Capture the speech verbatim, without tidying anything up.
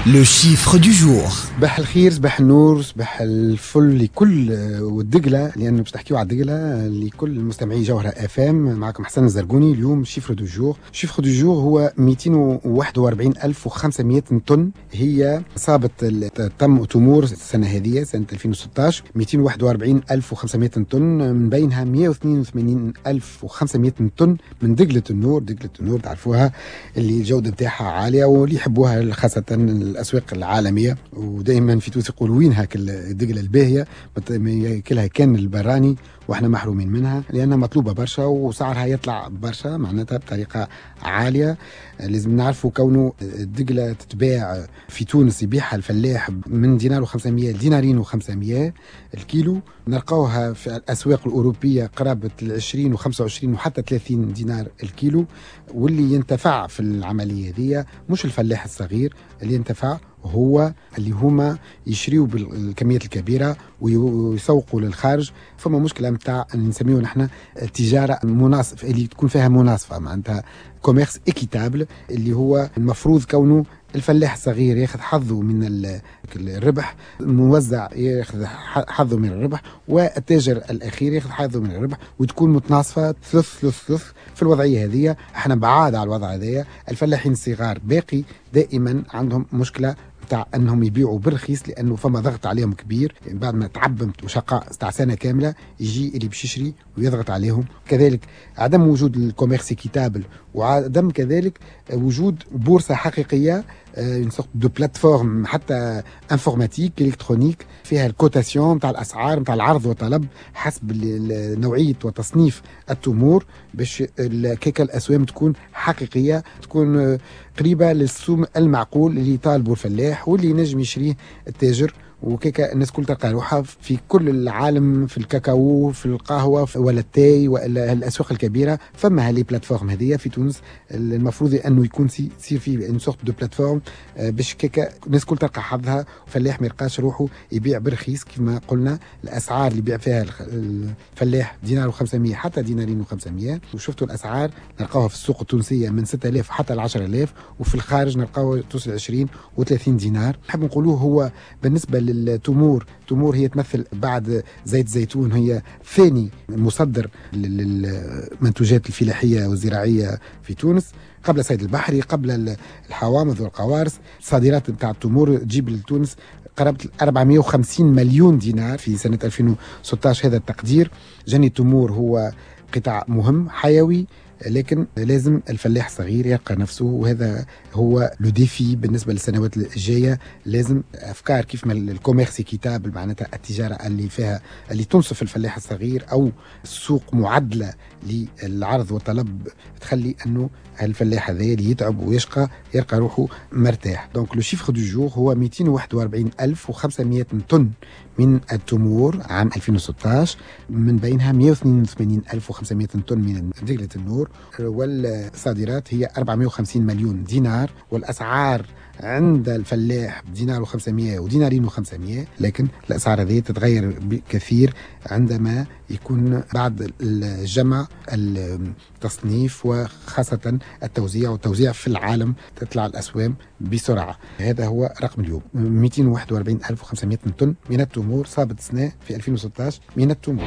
Le chiffre du jour. صباح الخير، صباح النور، صباح الفل لكل والدقلة، لأنه باش تحكيو على الدقلة، لكل مستمعي جوهرة اف ام. معكم حسن الزرقوني. اليوم chiffre du jour، chiffre du jour هو مئتين وواحد وأربعين ألف وخمسمية طن هي صابت تم تمور السنة هذه، سنة ألفين وستة عشر، مئتين وواحد وأربعين ألف وخمسمية طن، من بينها مئة واثنين وثمانين ألف وخمسمية طن من دقلة النور. دقلة النور تعرفوها اللي الجودة نتاعها عالية واللي يحبوها خاصة الأسواق العالمية، ودائما في تونس يقولوا وين هاك الدقلة الباهية، ما ياكلها كان البراني واحنا محرومين منها، لانها مطلوبه برشا وسعرها يطلع برشا، معناتها بطريقة عاليه. لازم نعرفوا كونه الدقله تتباع في تونس، يبيعها الفلاح من دينار وخمسمية لدينارين وخمسمية الكيلو، نلقاوها في الاسواق الاوروبية قرابة ال عشرين وخمسة وعشرين وحتى ثلاثين دينار الكيلو. واللي ينتفع في العملية هذه مش الفلاح الصغير، اللي ينتفع هو اللي هما يشريوا بالكميات الكبيرة ويسوقوا للخارج. فما مشكلة نتاع اللي نسميه نحن التجارة المناصفه، اللي تكون فيها مناصفه، معناتها commerce équitable، اللي هو المفروض كونه الفلاح الصغير ياخذ حظه من الربح، الموزع ياخذ حظه من الربح، والتاجر الاخير ياخذ حظه من الربح، وتكون متناصفه ثلث ثلث ثلث. في الوضعية هذه احنا بعاد على الوضع هذايا. الفلاحين الصغار باقي دائما عندهم مشكلة تاع انهم يبيعوا بالرخيص، لانه فما ضغط عليهم كبير. يعني بعد ما تعب وشقاء تاع سنة كامله، يجي اللي باش يشري ويضغط عليهم. كذلك عدم وجود ال commerce équitable، وعدم كذلك وجود بورصة حقيقيه، une sorte de plateforme حتى informatique électronique فيها ال cotation تاع الاسعار نتاع العرض والطلب حسب نوعية وتصنيف التمور، باش كيكا الاسوام تكون حقيقيه، تكون قريبه للسوم المعقول اللي يطالبوا الفلاح واللي ينجم يشريه التاجر، وكيكا الناس كل تلقى روحها. في كل العالم، في الكاكاو، في القهوة ولا التاي ولا الاسواق الكبيره، فما les plateformes هذيا. في تونس المفروض انه يكون يصير فيه une sorte de plateforme باش كيكا الناس كل تلقى حظها، فلاح ما يلقاش روحه يبيع برخيص. كما قلنا، الاسعار اللي يبيع فيها الفلاح دينار وخمسمية حتى دينارين وخمسمية، وشفتوا الاسعار نلقاوها في السوق التونسية من ستة آلاف حتى ل عشرة آلاف، وفي الخارج نلقاوها توصل عشرين وثلاثين دينار. نحب نقولوه هو بالنسبة للتمور، التمور هي تمثل بعد زيت الزيتون هي ثاني مصدر للمنتوجات الفلاحية والزراعيه في تونس، قبل الصيد البحري، قبل الحوامض والقوارص. الصادرات نتاع التمور تجيب لتونس قرابة أربعمية وخمسين مليون دينار في سنة ألفين وستة عشر، هذا التقدير. جني التمور هو قطاع مهم حيوي، لكن لازم الفلاح الصغير يلقى نفسه، وهذا هو le défi بالنسبة للسنوات الجايه. لازم افكار كيف ما ال commerce équitable، معناتها التجارة اللي فيها اللي تنصف الفلاح الصغير، او سوق معدله للعرض والطلب تخلي انه الفلاح هذا اللي يتعب ويشقى يلقى روحه مرتاح. donc le chiffre du jour هو مئتين وواحد وأربعين ألف وخمسمية طن من التمور عام ألفين وستة عشر، من بينها مئة واثنين وثمانين ألف وخمسمية طن من دقلة النور، والصادرات هي أربعمية وخمسين مليون دينار، والأسعار عند الفلاح بدينار وخمسمية ودينارين وخمسمية، لكن الأسعار هذه تتغير بكثير عندما يكون بعد الجمع، التصنيف، وخاصة التوزيع، والتوزيع في العالم تطلع الأسوام بسرعة. هذا هو رقم اليوم: مئتين وواحد وأربعين ألف وخمسمية طن من التمور صابت سنة في ألفين وستة عشر من التمور.